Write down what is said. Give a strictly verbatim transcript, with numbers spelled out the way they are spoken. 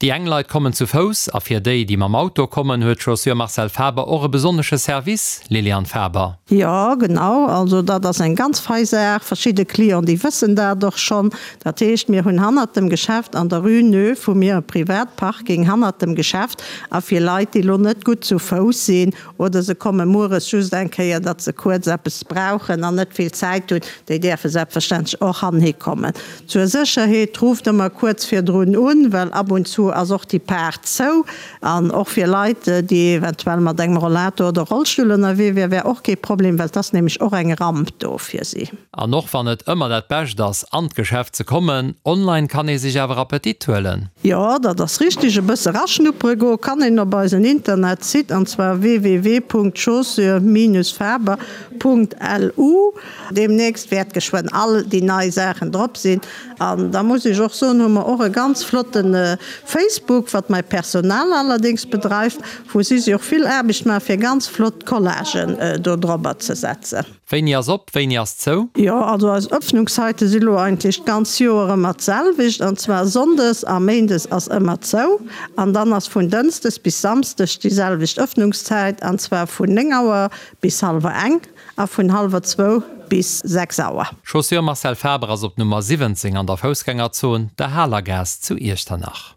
Déi eng Leit kommen zu Fouss a fir déi, déi mam Auto kommen, huet Chaussures Marcel Faber och e besonnesche Service, Liliane Faber. Jo, genau, also dat ass eng ganz fei Saach. Verschidde Clienten, déi wëssen dat och schonn. Dat heescht, mir hunn hannert dem Geschäft an der Rue Neuve hu mir e Privatparking hannert dem Geschäft a fir Leit, déi elo net gutt zu Fouss sinn oder se komme mueres just eng Kéier, datt se kuerz eppes brauchen an net vill Zäit hunn, déi däerfe selbstverständlech och hanhi kommen. Zur Sécherheet, rufft ëmmer kuerz virdrun un, well ab und zu ass och déi Paart zou. An och fir Leit, déi eventuell mat engem Rollator oder Rollstull ënnerwee wier, wär och kee Problem, well et ass nämlech och eng Ramp do fir si. An och wann et ëmmer dat Bescht ass, an d'Geschäft ze kommen, online kann ee sech awer Appetit huelen. Jo, dat ass richteg. E bësse raschnuppere goe kann een op eisen Internetsite, an zwar www.chaussures-faber.lu. Deemnächst wäert geschwënn all déi nei Saachen drop sinn. An da muss ech och soen, hu mer och e ganz flotte Facebook, wat mäi Personal allerdéngs bedreift, wou si sech och vill Aarbecht maachen, fir ganz flott Collagen do drobber ze setzen. Wéini ass op, wéini ass zou? Jo, also eis Öffnungszeite si lo eigentlech d'ganz Joer ëmmer d'selwecht, an zwar sonndes a méindes ass ëmmer zou an dann ass vun dënschdes bis samsdes déi selwecht Öffnungszäit, an zwar vun néng Auer bis hallwer eng a vun hallwer zwou bis sechs Auer. Chaussures Marcel Faber ass op Nummer siwwenzéng an der Foussgängerzon, der Halergaass zu Iechternach.